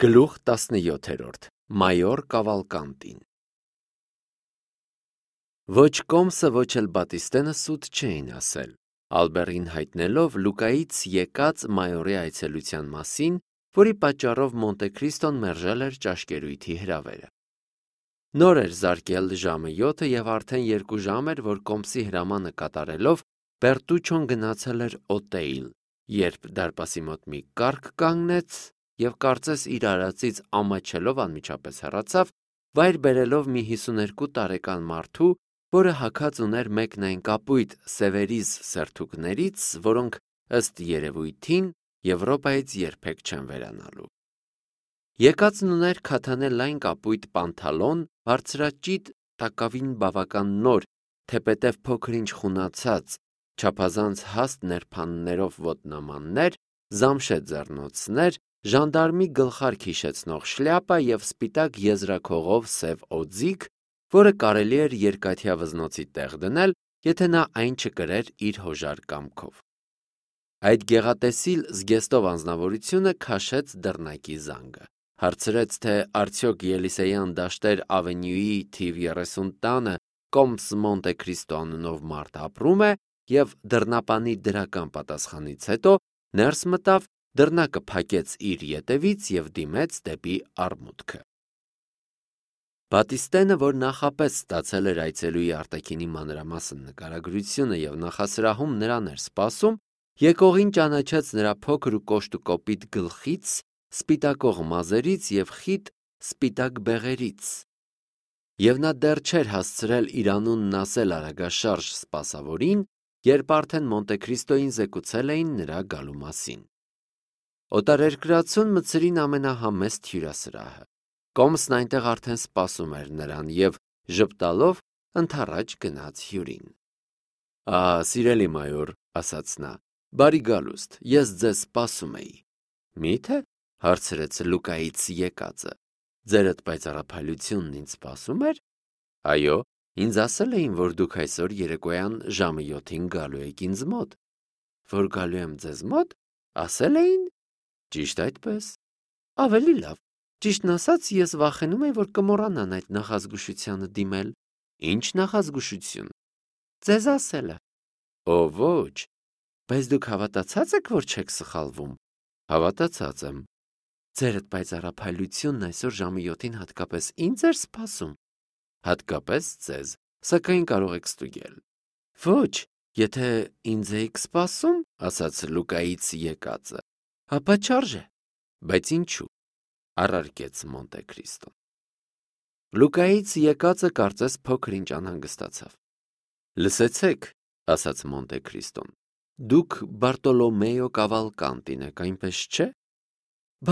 Գլուխ 17 Մայոր Կավալկանտին Ոչ Կոմսը, ոչ էլ Բատիստենը սուտ չէին ասել, Ալբերին հայտնելով Լուկայից եկած մայորի այցելության մասին, որի պատճառով Մոնտեքրիստոն մերժել էր ճաշկերույթի հրավերը։ Նոր էր զարկել ժամը 7 և արդեն 2 ժամ էր, որ Կոմսի հրամանը կատարելով Բերտուչոն գնացել էր Օտեիլ, երբ դարպասի մոտ մի կառք կանգնեց և կարծես իր արածից ամաչելով անմիջապես հեռացավ, վայր բերելով մի 52 տարեկան մարդու, որը հագած ուներ մեկնային կապույտ Սևերիզ սերթուկներից, որոնք ըստ երևույթին Եվրոպայից երբեք չեն վերանալու։ Եկածն ուներ քաթանե լայն կապույտ պանթալոն, բարձրաճիտ, տակավին բավական նոր, թեպետև փոքր-ինչ խունացած, չափազանց հաստ ներփաններով ոտնամաններ, զամշե ձեռնոցներ, ժանդարմի գլխարկ հիշեցնող շլյապա և սպիտակ եզրաքողով սև օձիք, որը կարելի էր երկաթյա վզնոցի տեղ դնել, եթե նա այն չկրեր իր հոժար կամքով։ Այդ գեղատեսիլ զգեստով անձնավորությունը քաշեց դռնակի զանգը, հարցրեց, թե արդյոք Ելիսեյան դաշտեր ավենյուի թիվ 30 տանը Կոմս Մոնտեքրիստո անունով մարդ ապրում է և դռնապանի դրական պատասխանից հետո ներս մտավ, դռնակը փակեց իր ետևից և դիմեց դեպի արմուտքը։ Բատիստենը, որ նախապես ստացել էր այցելուի արտաքինի մանրամասն նկարագրությունը և նախասրահում նրան էր սպասում, եկողին ճանաչեց նրա փոքր ու կոշտուկոպիտ գլխից, սպիտակող մազերից և խիտ սպիտակ բեղերից, և նա դեռ չէր հասցրել իր անունն ասել արագաշարժ սպասավորին, երբ արդեն Մոնտեքրիստոյին զեկուցել էին նրա գալու մասին։ Օտարերկրացուն մցրին ամենահամեստ հյուրասրահը։ Կոմսն այնտեղ արդեն սպասում էր նրան և ժպտալով ընդառաջ գնաց հյուրին։ Սիրելի մայոր, ասաց նա, բարի գալուստ, ես ձեզ սպասում էի։ Մի՞թե, հարցրեց Լուկայից եկածը, ձերդ պայծառափայլությունն ինձ սպասում էր։ Այո, ինձ ասել էին, որ դուք այսօր երեկոյան ժամը 7-ին գալու եք ինձ մոտ։ Որ գալու եմ ձեզ մոտ, ասել էին։ Ճիշտ այդպես։ Ավելի լավ, ճիշտն ասած, ես վախենում էի, որ կմոռանան այդ նախազգուշությանը դիմել։ Ինչ նախազգուշություն։ Ձեզ ասելը։ Ոչ, բայց դուք հավատացած եք, որ չեք սխալվում։ Հավատացած եմ։ Ձերդ պայծառափայլությունն այսօր ժամը 7-ին հատկապես ինձ էր սպասում։ Հատկապես ձեզ, սակայն կարող եք ստուգել։ Ոչ, եթե ինձ էիք սպասում, ասաց Լուկայից եկածը, ապա չարժե, բայց ինչու, առարկեց Մոնտեքրիստոն։ Լուկայից եկածը կարծես փոքր-ինչ անհանգստացավ։ Լսեցեք, ասաց Մոնտեքրիստոն, դուք Բարտոլոմեո Կավալկանտին եք, այնպես չէ։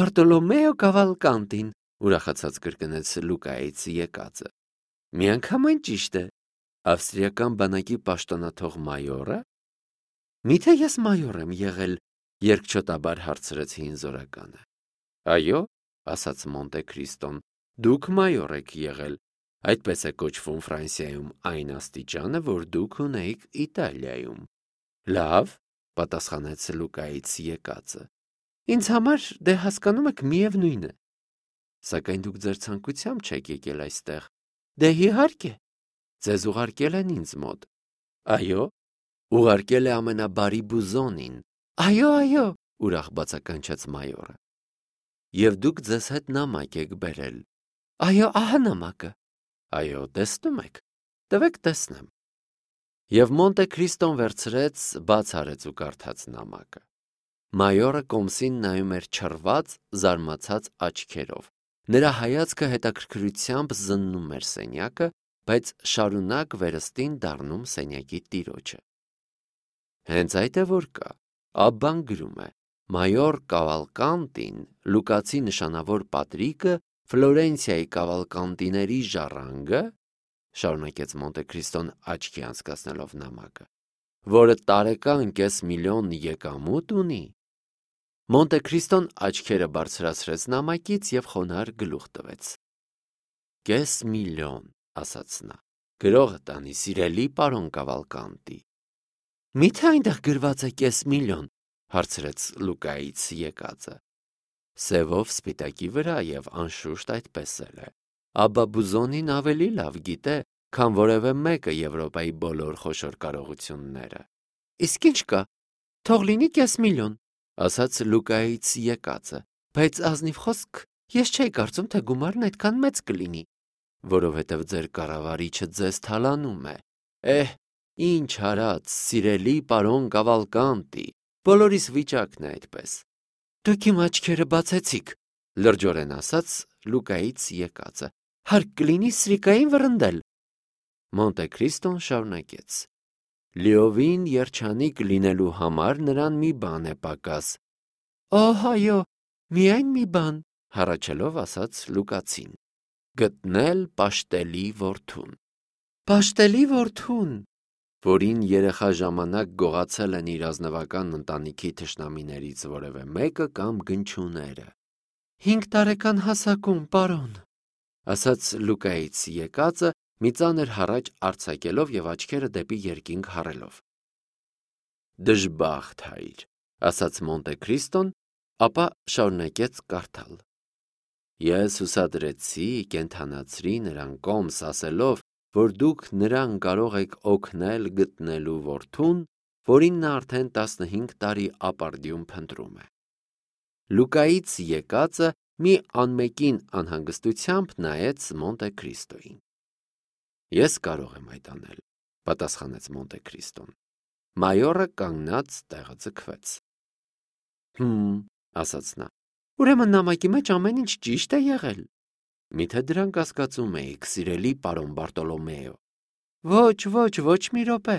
Բարտոլոմեո Կավալկանտին, ուրախացած կրկնեց Լուկայից եկածը։ Միանգամայն ճիշտ է։ Ավստրիական բանակի պաշտոնաթող մայորը։ Միթե ես մայոր եմ եղել, երկչոտաբար հարցրեց հին զորականը։ Այո, ասաց Մոնտեքրիստոն, դուք մայոր եք եղել, այդպես է կոչվում Ֆրանսիայում այն աստիճանը, որ դուք ունեիք Իտալիայում։ Լավ, պատասխանեց Լուկայից եկածը։ Ինձ համար դե հասկանում եք միևնույն է։ Սակայն դուք ձեր ցանկությամբ չեք եկել այստեղ։ Դե իհարկե, ձեզ ուղարկել են ինձ մոտ։ Այո, ուղարկել է ամենաբարի Բուզոնին։ Այո, ուրախ բացականչեց մայորը։ Եվ դուք ձեզ հետ նամակ եք բերել։ Այո, ահա նամակը։ Այո, տեսնում եք, տվեք տեսնեմ։ Եվ Մոնտեքրիստոն վերցրեց, բաց արեց ու կարդաց նամակը։ Մայորը Կոմսին նայում էր չռված, զարմացած աչքերով։ Նրա հայացքը հետաքրքրությամբ զննում էր սենյակը, բայց շարունակ վերստին դառնում սենյակի տիրոջը։ Հենց այդ է որ կա, Աբբան գրում է. Մայոր Կավալկանտին, Լուկացի նշանավոր պատրիկը, Ֆլորենցիայի Կավալկանտիների ժառանգը, շարունակեց Մոնտեքրիստոն աչքի անցկացնելով նամակը, որը տարեկան $500,000 եկամուտ ունի։ Մոնտեքրիստոն աչքերը բարձրացրեց նամակից և խոնարհ գլուխ տվեց։ $500,000, ասաց նա, գրողը տանի, սիրելի պարոն Կավալկանտի։ Միթե այնտեղ գրված է $500,000, հարցրեց Լուկայից եկածը։ սևով սպիտակի վրա և անշուշտ այդպես էլ է։ Աբա Բուզոնին ավելի լավ գիտե, քան որևէ մեկը Եվրոպայի բոլոր խոշոր կարողությունները։ Իսկ ինչ կա, թող լինի կես միլիոն, ասաց Լուկայից եկածը, բայց ազնիվ խոսք, ես չէի կարծում, թե գումարն այդքան մեծ կլինի, որովհետև ձեր կառավարիչը ձեզ թալանում է։ Ինչ արած, սիրելի պարոն Կավալկանտի, բոլորիս վիճակն է այդպես։ Դուք իմ աչքերը բացեցիք, լրջորեն ասաց Լուկայից եկածը, հարկ կլինի սրիկային վռնդել։ Մոնտե Քրիստոն շարունակեց. Լիովին երջանիկ լինելու համար նրան մի բան է պակաս։ Այո, միայն մի բան, հառաչելով ասաց Լուկացին. գտնել պաշտելի որդուն։ Պաշտելի որդուն, որին երեխա ժամանակ գողացել են իր ազնվական ընտանիքի թշնամիներից որևէ մեկը կամ գնչուները։ 5 տարեկան հասակում, պարոն, ասաց Լուկայից եկածը, մի ծանր հառաչ արձակելով և աչքերը դեպի երկինք հառելով։ Դժբախտ հայր, ասաց Մոնտե Քրիստոն, ապա շարունակեց կարդալ. Ես հուսադրեցի, կենդանացրի նրան կոմս ասելով, որ դուք նրան կարող եք օգնել գտնելու որդուն, որին նա արդեն 15 տարի ապարդյուն փնտրում է։ Լուկայից եկածը մի անմեկին անհանգստությամբ նայեց Մոնտե Քրիստոյին։ Ես կարող եմ այդ անել, պատասխանեց Մոնտե Քրիստոն։ Մայորը կանգնած տեղը ձգվեց։ Ասաց նա, ուրեմն նամակի մեջ ամեն ինչ ճիշտ է եղել։ Միթե դրանք կասկածում էիք, սիրելի պարոն Բարտոլոմեո։ Ոչ մի րոպե,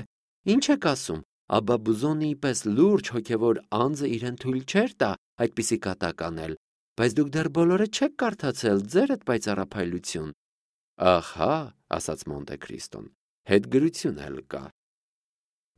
ինչ եք ասում, Աբա Բուզոնիի պես լուրջ հոգևոր անձը իրեն թույլ չէր տա այդպիսի կատակ անել, բայց դուք դեռ բոլորը չեք կարդացել ձերդ պայծառափայլություն։ Ահա, ասաց Մոնտե Քրիստոն, հետգրություն էլ կա։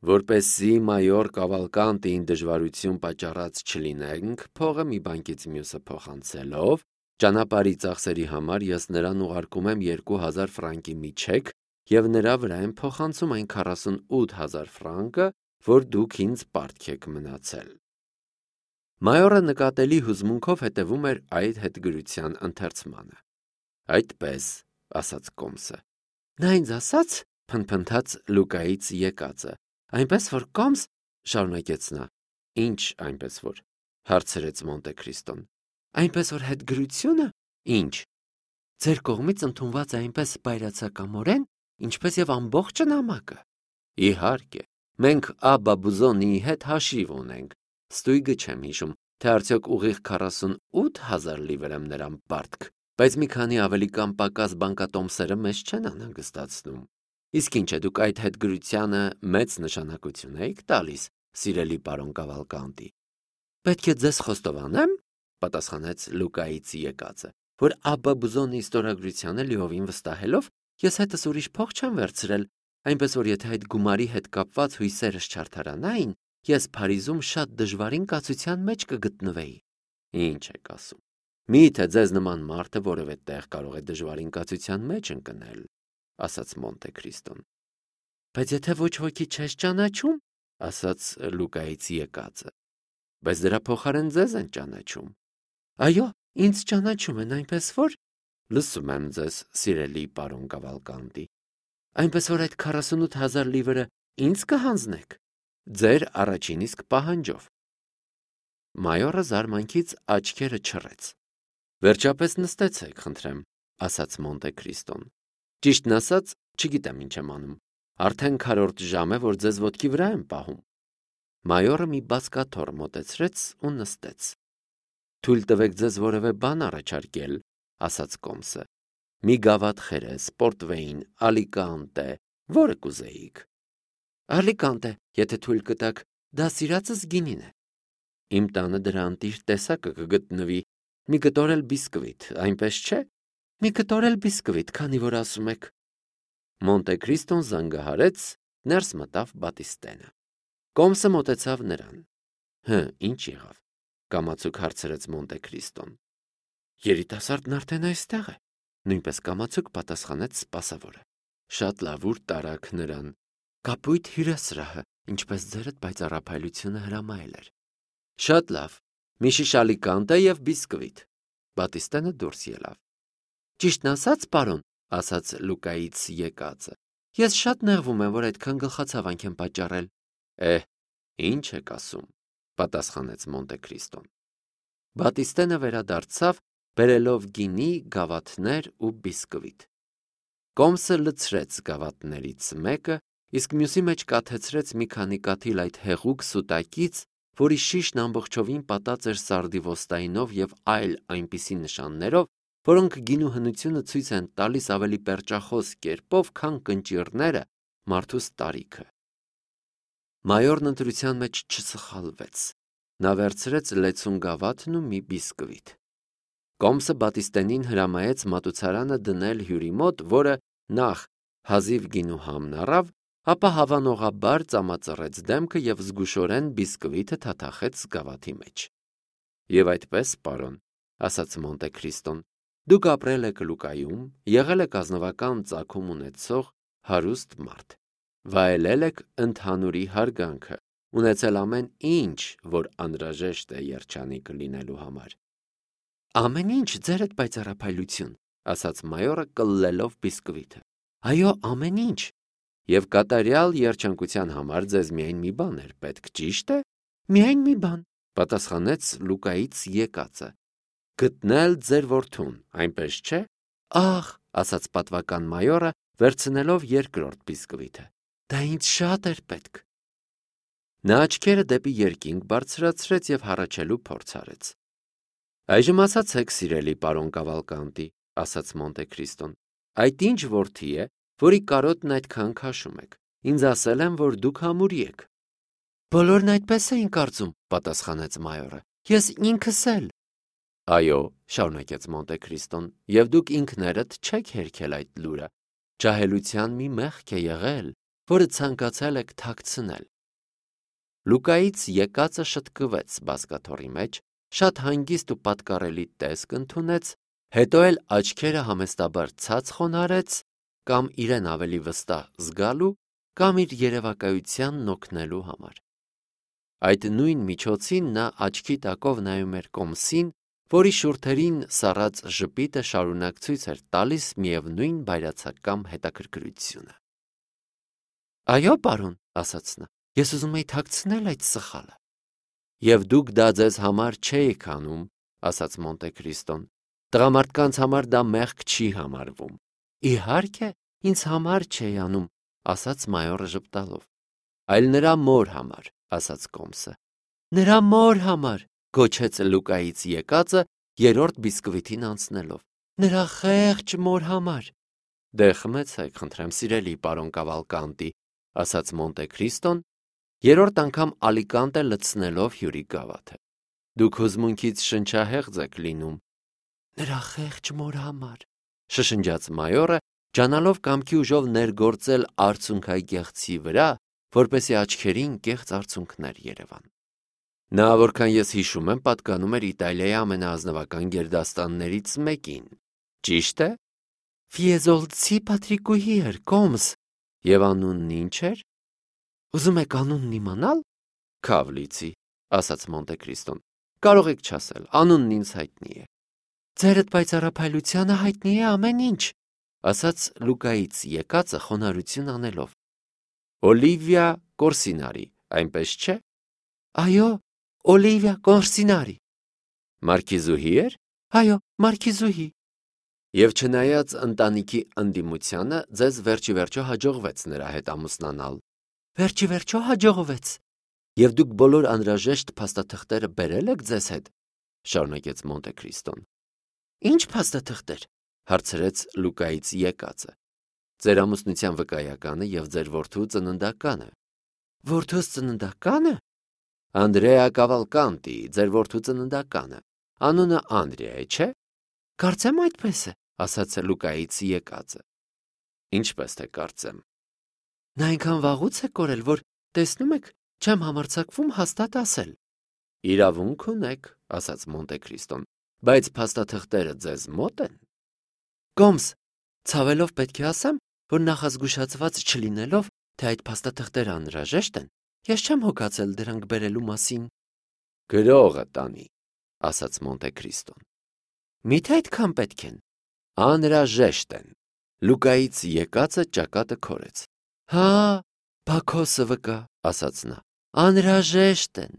Որպեսզի մայոր Կավալկանտին դժվարություն պատճառած չլինենք, փողը մի բանկից մյուսը փոխանցելով, ճանապարհի ծախսերի համար ես նրան ուղարկում եմ 2000 ֆրանկի մի չեք և նրա վրա եմ փոխանցում այն 48000 ֆրանկը, որ դուք ինձ պարտք եք մնացել։ Մայորը նկատելի հուզմունքով հետևում էր այդ հետգրության ընթերցմանը։ Այդպես, ասաց կոմսը։ Նա ինձ ասաց, փնթփնթաց Լուկայից եկածը, այնպես որ կոմս, շարունակեց նա։ Ինչ այնպես որ, հարցրեց Մոնտե Քրիստոն։ Այնպես որ հետգրությունը, ինչ։ Ձեր կողմից ընդունված է այնպես բայրացակամորեն, ինչպես եւ ամբողջ նամակը։ Իհարկե, մենք Աբա Բուզոնիի հետ հաշիվ ունենք։ Ստույգը չեմ հիշում, թե արդյոք ուղիղ 48000 լիվր եմ նրան պարտք, բայց մի քանի ավելի կամ պակաս բանկատոմսերը մեզ չեն անհանգստացնում։ Իսկ ինչ է, դուք այդ հետգրությանը մեծ նշանակություն եք տալիս, սիրելի պարոն Կավալկանտի։ Պետք է ձեզ խոստովանեմ, պատասխանեց Լուկայից եկածը, որ Աբա Բուզոնիի ստորագրությանը լիովին վստահելով, ես հետս ուրիշ փող չեմ վերցրել, այնպես որ եթե այդ գումարի հետ կապված հույսերս չարդարանային, ես Փարիզում շատ դժվարին կացության մեջ կգտնվեի։ Ինչ եք ասում։ Միթե ձեզ նման մարդը որևէ տեղ կարող է դժվարին կացության մեջ ընկնել, ասաց Մոնտե Քրիստոն։ Բայց եթե ոչ ոքի չես ճանաչում, ասաց Լուկայից եկածը, բայց դրա փոխարեն ձեզ են ճանաչում։ Այո, ինձ ճանաչում են, այնպես որ լսում եմ ձեզ, սիրելի պարոն Կավալկանտի։ Այնպես որ այդ 48000 լիվրը ինձ կհանձնեք, ձեր առաջին իսկ պահանջով։ Մայորը զարմանքից աչքերը չռեց։ Վերջապես նստեցեք, խնդրեմ, ասաց Մոնտե Քրիստոն։ Ճիշտն ասած, չգիտեմ ինչ եմ անում։ Արդեն քառորդ ժամ է, որ ձեզ ոտքի վրա եմ պահում։ Մայորը մի բազկաթոռ մոտեցրեց ու նստեց։ Թույլ տվեք ձեզ որևէ բան առաջարկել, ասաց կոմսը։ Մի գավաթ խերես, պորտվեին, ալիկանտե, որը կուզեիք։ Ալիկանտե, եթե թույլ կտաք, դա սիրածս գինին է։ Իմ տանը դրա անտիր տեսակը կգտնվի։ Մի կտոր էլ բիսկվիթ, այնպես չէ։ Մի կտոր էլ բիսկվիթ, քանի որ ասում եք։ Մոնտե Քրիստոն զանգահարեց, ներս մտավ Բատիստենը։ Կոմսը մոտեցավ նրան։ Ինչ եղավ, կամացուկ հարցրեց Մոնտե Քրիստոն։ Երիտասարդն արդեն այստեղ է, նույնպես կամացուկ պատասխանեց սպասավորը։ Շատ լավ, ուր տարաք նրան։ Կապույտ հյուրասրահը, ինչպես ձերդ պայծառափայլությունը հրամայել էր։ Շատ լավ, մի շիշ ալիկանտե և բիսկվիթ։ Բատիստենը դուրս ելավ։ Ճիշտն ասած, պարոն, ասաց Լուկայից եկածը, ես շատ նեղվում եմ, որ այդքան գլխացավանք եմ պատճառել։ Ինչ եք ասում, պատասխանեց Մոնտե Քրիստոն։ Բատիստենը վերադարձավ, բերելով գինի, գավաթներ ու բիսկվիթ։ Կոմսը լցրեց գավաթներից մեկը, իսկ մյուսի մեջ կաթեցրեց մի քանի կաթիլ այդ հեղուկ սուտակից, որի շիշն ամբողջովին պատած էր սարդիվոստայնով և այլ այնպիսի նշաններով, որոնք գինու հնությունը ցույց են տալիս ավելի պերճախոս կերպով, քան կնճիռները մարդուս տարիքը։ Մայորն ընտրության մեջ չսխալվեց։ Նա վերցրեց լեցուն գավաթն ու մի բիսկվիթ։ Կոմսը Բատիստենին հրամայեց մատուցարանը դնել հյուրի մոտ, որը նախ հազիվ գինու համն առավ, ապա հավանողաբար ծամածռեց դեմքը և զգուշորեն բիսկվիթը թաթախեց գավաթի մեջ։ Եվ այդպես, պարոն, ասաց Մոնտե Քրիստոն, դուք ապրել եք Լուկայում, եղել եք ազնվական ծագում ունեցող հարուստ մարդ, վայելել եք ընդհանուրի հարգանքը, ունեցել ամեն ինչ, որ անհրաժեշտ է երջանիկ լինելու համար։ Ամեն ինչ, ձերդ պայծառափայլություն, ասաց մայորը կլլելով բիսկվիթը։ Այո, ամեն ինչ։ Եվ կատարյալ երջանկության համար ձեզ միայն մի բան էր պետք, ճիշտ է։ Միայն մի բան, պատասխանեց Լուկայից եկածը։ Գտնել ձեր որդուն, այնպես չէ։ Ահ, ասաց պատվական մայորը, վերցնելով երկրորդ բիսկվիթը։ Դա ինձ շատ էր պետք։ Նա աչքերը դեպի երկինք բարձրացրեց և հառաչելու փորձ արեց։ Այժմ ասացեք, սիրելի պարոն Կավալկանտի, ասաց Մոնտե Քրիստոն, այդ ինչ որդի է, որի կարոտն այդքան քաշում եք։ Ինձ ասել են, որ դուք համուրի եք։ Բոլորն այդպես էին կարծում, պատասխանեց մայորը։ Ես ինքս էլ։ Այո, շարունակեց Մոնտե Քրիստոն, և դուք ինքներդ չեք հերքել այդ լուրը։ Ջահելության մի մեղք է եղել, որը ցանկացել եք թաքցնել։ Լուկայից եկածը շտկվեց բազկաթոռի մեջ, շատ հանգիստ ու պատկառելի տեսք ընդունեց, հետո էլ աչքերը համեստաբար ցած խոնարհեց, կամ իրեն ավելի վստահ զգալու, կամ իր երևակայությանն օգնելու համար։ Այդ նույն միջոցին նա աչքի տակով նայում էր Կոմսին, որի շուրթերին սառած ժպիտը շարունակ ցույց էր տալիս միևնույն բայրացակամ հետաքրքրությունը։ Այո, պարոն, ասաց նա, ես ուզում էի թաքցնել այդ սխալը։ Եվ դուք դա ձեզ համար չէիք անում, ասաց Մոնտե Քրիստոն։ Տղամարդկանց համար դա մեղք չի համարվում։ Իհարկե, ինձ համար չէի անում, ասաց մայորը ժպտալով։ Այլ նրա մոր համար, ասաց Կոմսը։ Նրա մոր համար, գոչեց Լուկայից եկածը, երրորդ բիսկվիթին անցնելով։ Նրա խեղճ մոր համար։ Դե խմեցեք, խնդրեմ, սիրելի պարոն Կավալկանտի, ասաց Մոնտե Քրիստոն, երրորդ անգամ ալիկանտե լցնելով հյուրի գավաթը։ Դուք հուզմունքից շնչահեղձ եք լինում։ Նրա խեղճ մոր համար, շշնջաց մայորը, ջանալով կամքի ուժով ներգործել արցունքագեղձի վրա, որպեսզի աչքերին կեղծ արցունքներ երևան։ Նա, որքան ես հիշում եմ, պատկանում էր Իտալիայի ամենաազնվական գերդաստաններից մեկին։ Ճիշտ է։ Ֆիեզոլցի Պատրիկուհի էր, Կոմս։ Եվ անունն ինչ էր։ Ուզում եք անունն իմանալ։ Քավլիցի, ասաց Մոնտե Քրիստոն։ Կարող եք չասել, անունն ինձ հայտնի է։ Ձերդ պայծառափայլությանը հայտնի է ամեն ինչ, ասաց Լուկայից եկածը խոնարհություն անելով։ Օլիվիա Կորսինարի, այնպես չէ։ Այո, Օլիվիա Կորսինարի։ Մարքիզուհի էր։ Այո, մարքիզուհի։ Եվ չնայած ընտանիքի ընդդիմությանը, ձեզ վերջիվերջո հաջողվեց նրա հետ ամուսնանալ։ Վերջիվերջո հաջողվեց։ Եվ դուք բոլոր անհրաժեշտ փաստաթղթերը բերել եք ձեզ հետ, շարունակեց Մոնտե Քրիստոն։ Ինչ փաստաթղթեր, հարցրեց Լուկայից եկածը։ Ձեր ամուսնության վկայականը և ձեր որդու ծննդականը։ Որդուս ծննդականը։ Անդրեա Կավալկանտի, ձեր որդու ծննդականը։ Անունը Անդրեա է, չէ։ Կարծեմ այդպես է, ասաց Լուկայից եկածը։ Ինչպես թե կարծեմ։ Նա այնքան վաղուց է կորել, որ տեսնում եք, չեմ համարձակվում հաստատ ասել։ Իրավունք ունեք, ասաց Մոնտե Քրիստոն, բայց փաստաթղթերը ձեզ մոտ են։ Կոմս, ցավելով պետք է ասեմ, որ նախազգուշացված չլինելով, թե այդ փաստաթղթերը անհրաժեշտ են, ես չեմ հոգացել դրանք բերելու մասին։ Գրողը տանի, ասաց Մոնտե Քրիստոն։ Միթե այդքան պետք են։ Անհրաժեշտ են։ Լուկայից եկածը ճակատը քորեց։ Հա, Բաքոսը վկա, ասաց նա։ Անհրաժեշտ են։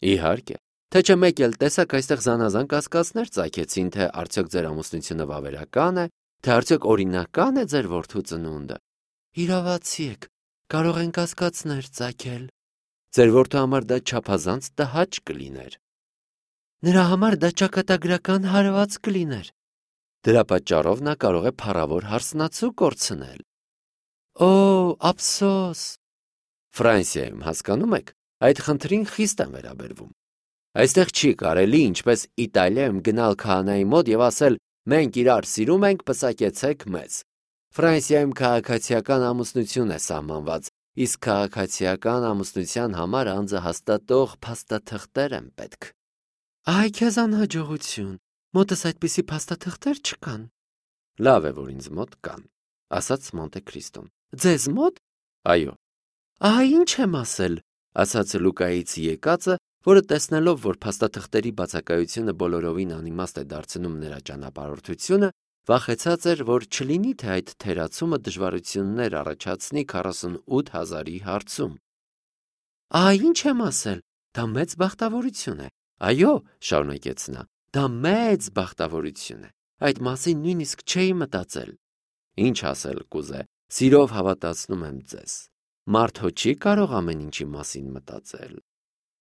Իհարկե, թե չէ մեկ էլ տեսակ այստեղ զանազան կասկածներ ծագեցին, թե արդյոք ձեր ամուսնությունը վավերական է, թե արդյոք օրինական է ձեր որդու ծնունդը։ Իրավացի եք, կարող են կասկածներ ծագել։ Ձեր որդու համար դա չափազանց տհաճ կլիներ։ Նրա համար դա ճակատագրական հարված կլիներ։ Դրա պատճառով նա կարող է փառավոր հարսնացու կորցնել։ Օ, ափսոս։ Ֆրանսիայում, հասկանում եք, այդ խնդրին խիստ են վերաբերվում։ Այստեղ չի կարելի, ինչպես Իտալիայում, գնալ քահանայի մոտ եւ ասել. «Մենք իրար սիրում ենք, պսակեցեք մեզ»։ Ֆրանսիայում քաղաքացիական ամուսնություն է սահմանված, իսկ քաղաքացիական ամուսնության համար անձը հաստատող փաստաթղթեր են պետք։ Այ քեզ անհաջողություն, մոտս այդպիսի փաստաթղթեր չկան։ Լավ է, որ ինձ մոտ կան, ասաց Մոնտե Քրիստոն։ Ձեզ մոտ։ Այո։ Ահա ինչ եմ ասել, ասաց Լուկայից եկածը, որը տեսնելով, որ փաստաթղթերի բացակայությունը բոլորովին անիմաստ է դարձնում նրա ճանապարհորդությունը, վախեցած էր, որ չլինի, թե այդ թերացումը դժվարություններ առաջացնի 48,000-ի հարցում։ Ահա ինչ եմ ասել, դա մեծ բախտավորություն է։ Այո, շարունակեց նա, դա մեծ բախտավորություն է։ Այդ մասին նույնիսկ չէի մտածել։ Ինչ ասել կուզե, սիրով հավատացնում եմ ձեզ։ Մարդ հո չի կարող ամեն ինչի մասին մտածել։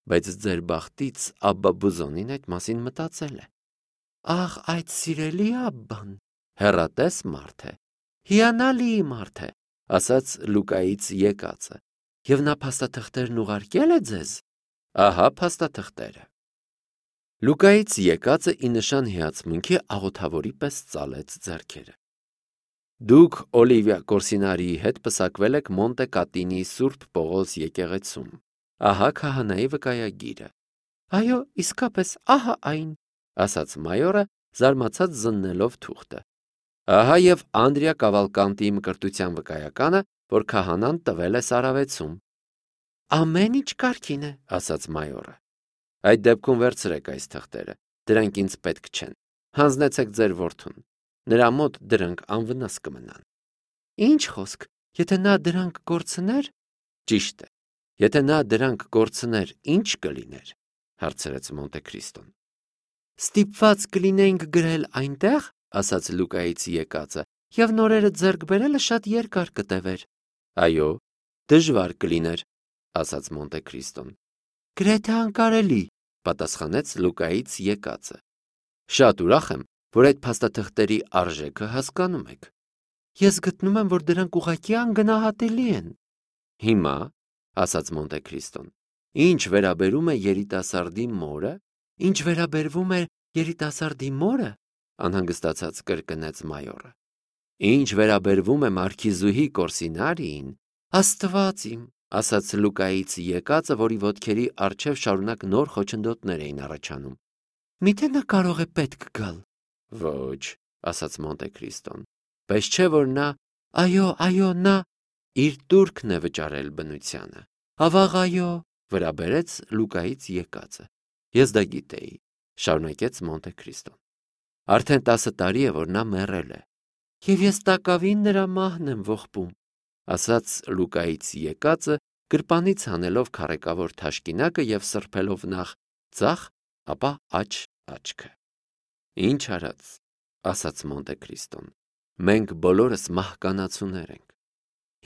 Բայց ձեր բախտից Աբբա Բուզոնին այդ մասին մտածել է։ Ահ, այդ սիրելի Աբբան, հեռատես մարդ է, հիանալի մարդ է, ասաց Լուկայից եկածը։ Եվ նա փաստաթղթերն ուղարկել է ձեզ։ Ահա փաստաթղթերը։ Լուկայից եկածը ի նշան հիացմունքի աղոթավորի պես ծալեց ձեռքերը։ Դուք Օլիվիա Կորսինարիի հետ պսակվել եք Մոնտե Կատինի Սուրբ Պողոս եկեղեցում։ Ահա քահանայի վկայագիրը։ Այո, իսկապես, ահա այն, ասաց մայորը, զարմացած զննելով թուղթը։ Ահա եւ Անդրիա Կավալկանտիի մկրտության վկայականը, որ քահանան տվել է Սարավեցում։ Ամեն ինչ կարգին է, ասաց մայորը։ Այդ դեպքում վերցրեք այս թղթերը, դրանք ինձ պետք չեն։ Հանձնեցեք ձեր որդուն։ Նրա մոտ դրանք անվնաս կմնան։ Ինչ խոսք, եթե նա դրանք կորցներ։ Ճիշտ է։ Եթե նա դրանք կորցներ, ինչ կլիներ, հարցրեց Մոնտե Քրիստոն։ Ստիպված կլինեինք գրել այնտեղ, ասաց Լուկայից եկածը, եւ նորերը ձեռք բերելը շատ երկար կտևեր։ Այո, դժվար կլիներ, ասաց Մոնտե Քրիստոն։ Գրեթե անկարելի, պատասխանեց Լուկայից եկածը։ Շատ ուրախ եմ, որ այդ փաստաթղթերի արժեքը հասկանում եք։ Ես գտնում եմ, որ դրանք ուղղակի անգնահատելի են։ Հիմա, ասաց Մոնտե Քրիստոն, ինչ վերաբերում է երիտասարդի մորը, ինչ վերաբերվում է երիտասարդի մորը, անհանգստացած կրկնեց մայորը։ Ինչ վերաբերվում է մարքիզուհի Կորսինարիին, Աստված իմ, ասաց Լուկայից եկածը, որի ոտքերի առջև շարունակ նոր խոչընդոտներ էին առաջանում։ Միթե նա կարող է պետք գալ։ Ոչ, ասաց Մոնտե Քրիստոն, բայց չէ որ նա, այո, նա իր տուրքն է վճարել բնությանը։ Ավաղ այո, վրա բերեց Լուկայից եկածը։ Ես դա գիտեի, շարունակեց Մոնտե Քրիստոն։ Արդեն 10 տարի է, որ նա մեռել է։ Եվ ես տակավին նրա մահն եմ ողբում, ասաց Լուկայից եկածը, գրպանից հանելով քառեկավոր թաշկինակը եւ սրբելով նախ ձախ, ապա աջ աչքը։ Ինչ արած, ասաց Մոնտե Քրիստոն, մենք բոլորս մահկանացուներ ենք։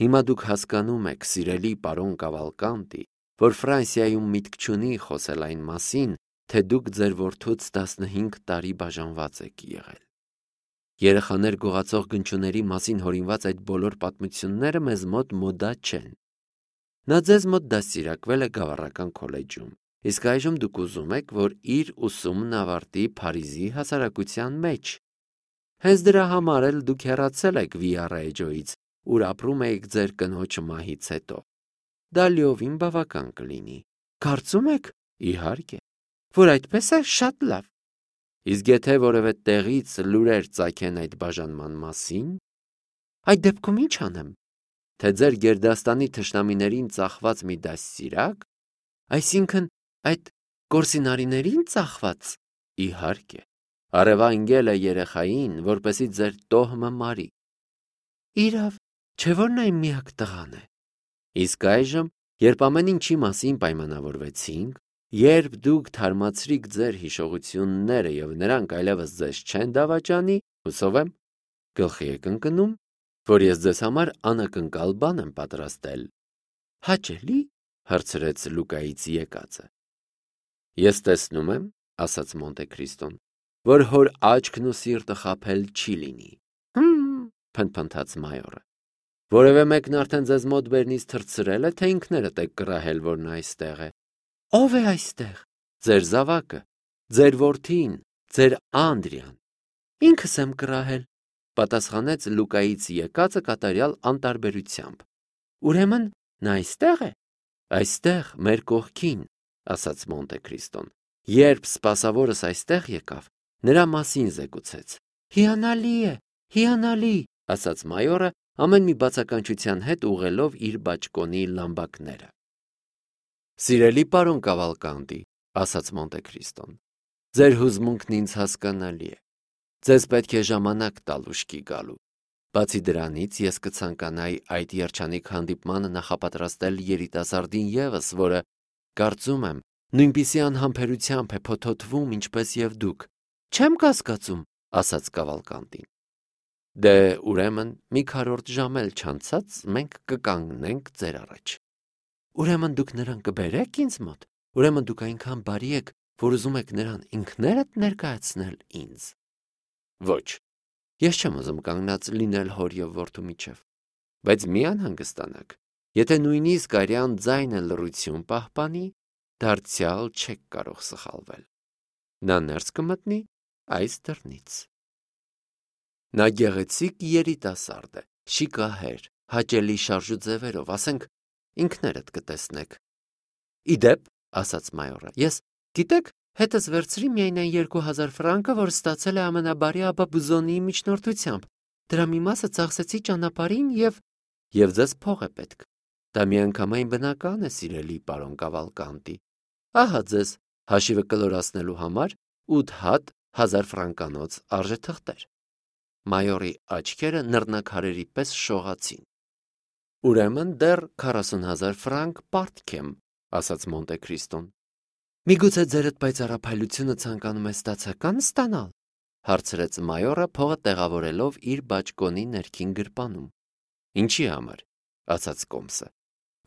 Հիմա դուք հասկանում եք, սիրելի պարոն Կավալկանտի, որ Ֆրանսիայում միտք չունի խոսել այն մասին, թե դուք ձեր որդուց 15 տարի բաժանված եք եղել։ Երեխաներ գողացող գնչուների մասին հորինված այդ բոլոր պատմությունները մեզ մոտ մոդա չեն։ Նա ձեզ մոտ դաստիարակվել է Գավառական քոլեջում, իսկ այժմ դուք ուզում եք, որ իր ուսումն ավարտի Փարիզի հասարակության մեջ։ Հենց դրա համար էլ դուք հեռացել եք Վիարեջոից, ուր ապրում եք ձեր կնոջ մահից հետո։ Դա լիովին բավական կլինի։ Կարծում եք, իհարկե, որ այդպես է շատ լավ։ Իսկ եթե որևէ տեղից լուրեր ծագեն այդ բաժանման մասին, այդ դեպքում ինչ անեմ, թե ձեր գերդաստանի թշնամիներին ծախված մի դաստիարակ, այսինքն այդ Կորսինարիներին ծախված, Իհարկե, արևանգել է երեխային, որպեսզի ձեր տոհմը մարի։ Իրավ, չէ՞ որ նա իմ միակ տղան է։ Իսկ այժմ, երբ ամեն ինչի մասին պայմանավորվեցինք, երբ դուք թարմացրիք ձեր հիշողությունները և նրանք այլևս ձեզ չեն դավաճանի, հուսով եմ, գլխի եք ընկնում, որ ես ձեզ համար անակնկալ բան եմ պատրաստել։ Հաճելի՞, հարցրեց Լուկայից եկածը։ Ես տեսնում եմ, ասաց Մոնտե Քրիստոն, որ հոր աչքն ու սիրտը խաբել չի լինի։ Փնթփնթաց մայորը։ Որևէ մեկն արդեն ձեզ մոտ բերնից թռցրել է, թե ինքներդ եք կռահել, որ նա այստեղ է։ Ո՞վ է այստեղ։ Ձեր զավակը, ձեր որդին, ձեր Անդրիան։ Ինքս եմ կռահել, պատասխանեց Լուկայից եկածը կատարյալ անտարբերությամբ։ Ուրեմն նա այստեղ է։ Այստեղ, մեր կողքին, ասաց Մոնտե Քրիստոն։ Երբ սպասավորս այստեղ եկավ, նրա մասին զեկուցեց։ Հիանալի է, հիանալի, ասաց մայորը, ամեն մի բացականչության հետ ուղղելով իր բաճկոնի լամբակները։ Սիրելի պարոն Կավալկանտի, ասաց Մոնտե Քրիստոն, ձեր հուզմունքն ինձ հասկանալի է։ Ձեզ պետք է ժամանակ տալ ուշքի գալու։ Բացի դրանից, ես կցանկանայի այդ երջանիկ հանդիպմանը նախապատրաստել երիտասարդին ևս, որը, կարծում եմ, նույնպիսի անհամբերությամբ է փոթոթվում, ինչպես և դուք։ Չեմ կասկածում, ասաց Կավալկանտին։ Դե, ուրեմն, մի քառորդ ժամ էլ չանցած մենք կկանգնենք ձեր առաջ։ Ուրեմն դուք նրան կբերեք ինձ մոտ։ Ուրեմն դուք այնքան բարի եք, որ ուզում եք նրան ինքներդ ներկայացնել ինձ։ Ոչ, ես չեմ ուզում կանգնած լինել հոր և որդու միջև, բայց մի անհանգստանաք, եթե նույնիսկ արյան ձայնը լռություն պահպանի, դարձյալ չեք կարող սխալվել։ Նա ներս կմտնի այս դռնից։ Նա գեղեցիկ երիտասարդ է, շիկահեր, հաճելի շարժուձևերով, ասենք, ինքներդ կտեսնեք։ Իդեպ, ասաց մայորը, ես, գիտեք, հետս վերցրի միայն այն 2000 ֆրանկը, որ ստացել է ամենաբարի աբա Բուզոնիի միջնորդությամբ։ Դրա մի մասը ծախսեցի ճանապարհին և ձեզ փող է պետք։ Դա միանգամայն բնական է, սիրելի պարոն Կավալկանտի։ Ահա ձեզ հաշիվը կլորացնելու համար 8 հատ 1000 ֆրանկանոց արժեթղթեր։ Մայորի աչքերը նռնակարերի պես շողացին։ Ուրեմն դեռ 40,000 ֆրանկ պարտք եմ, ասաց Մոնտե Քրիստոն։ Միգուցե ձերդ պայծառափայլությունը ցանկանում է ստացական ստանալ, հարցրեց մայորը փողը տեղավորելով իր բաճկոնի ներքին գրպանում։ Ինչի համար, ասաց Կոմսը,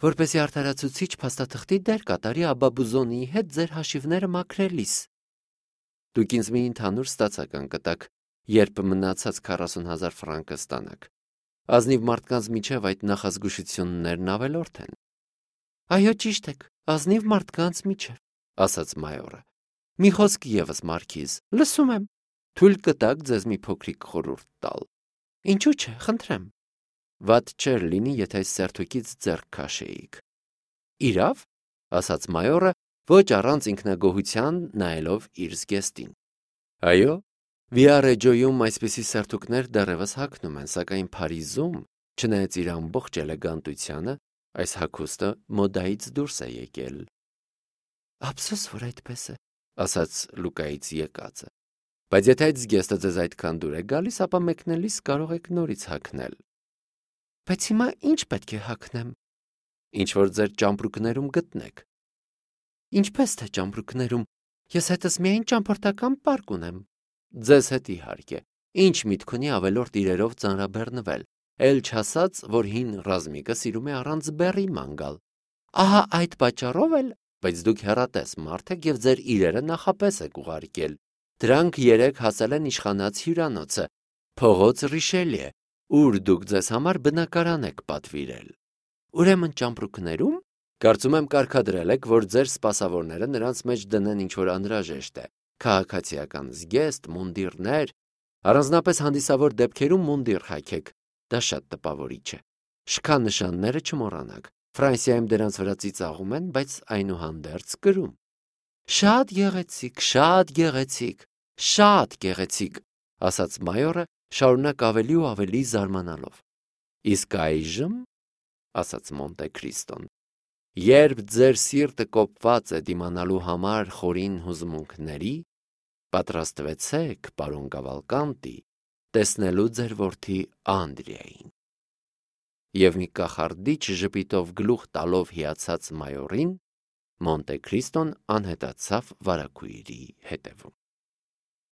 որպեսզի արդարացուցիչ փաստաթղթի դեր կատարի աբա Բուզոնիի հետ ձեր հաշիվները մաքրելիս։ Դուք ինձ մի ընդհանուր ստացական կտաք, երբ մնացած 40,000 ֆրանկը ստանաք։ Ազնիվ մարդկանց միջև այդ նախազգուշություններն ավելորդ են։ Այո, ճիշտ եք, ազնիվ մարդկանց միջև, ասաց մայորը։ Մի խոսք ևս, մարքիզ, լսում եմ։ Թույլ կտաք ձեզ մի փոքրիկ խորհուրդ տալ։ Ինչու՞ չէ, խնդրեմ։ Վատ չէր լինի, եթե այս սերթուկից ձեռք քաշեիք։ Իրավ, ասաց մայորը, ոչ առանց ինքնագոհության նայելով իր զգեստին։ Այո, Վիարեջոյում այսպիսի սերթուկներ դեռևս հագնում են, սակայն Փարիզում, չնայած իր ամբողջ էլեգանտությանը, այս հագուստը մոդայից դուրս է եկել։ Ափսոս, որ այդպես է, ասաց Լուկայից եկածը։ Բայց եթե այդ զգեստը ձեզ այդքան դուր է գալիս, ապա մեկնելիս կարող եք նորից հագնել։ Բայց հիմա ինչ պետք է հագնեմ։ Ինչ որ ձեր ճամպրուկներում գտնեք։ Ինչպես թե ճամպրուկներում, ես հետս միայն ճամփորդական պարկ ունեմ։ Ձեզ հետ իհարկե, ինչ միտք ունի ավելորդ իրերով ծանրաբեռնվել, էլ չասած, որ հին ռազմիկը սիրում է առանց բեռի ման գալ։ Ահա այդ պատճառով էլ, բայց դուք հեռատես մարդ եք և ձեր իրերը նախապես եք ուղարկել։ Դրանք երեկ հասել են իշխանած հյուրանոցը, փողոց Ռիշելիե, ուր դուք ձեզ համար բնակարան եք պատվիրել։ Ուրեմն ճամպրուկներում, կարծում եմ կարգադրել եք, որ ձեր սպասավորները նրանց մեջ դնեն ինչ-որ անհրաժեշտ է, քաղաքացիական զգեստ, մունդիրներ, առանձնապես հանդիսավոր դեպքերում մունդիր հագեք, դա շատ տպավորիչ է։ Շքանշանները չմոռանաք, Ֆրանսիայում դրանց վրա ծիծաղում են, բայց այնուհանդերձ կրում։ Շատ գեղեցիկ, շատ գեղեցիկ, շատ գեղեցիկ, ասաց մայորը, շարունակ ավելի ու ավելի զարմանալով։ Իսկ այժմ, ասաց Մոնտե Քրիստոն, երբ ձեր սիրտը կոպված է դիմանալու համար խորին հուզմունքների, Պատրաստվեցեք, պարոն Կավալկանտի, տեսնելու ձեր որդի Անդրիային։ Եվ մի կախարդիչ ժպիտով գլուխ տալով հիացած մայորին, Մոնտե Քրիստոն անհետացավ վարագույրի հետևում։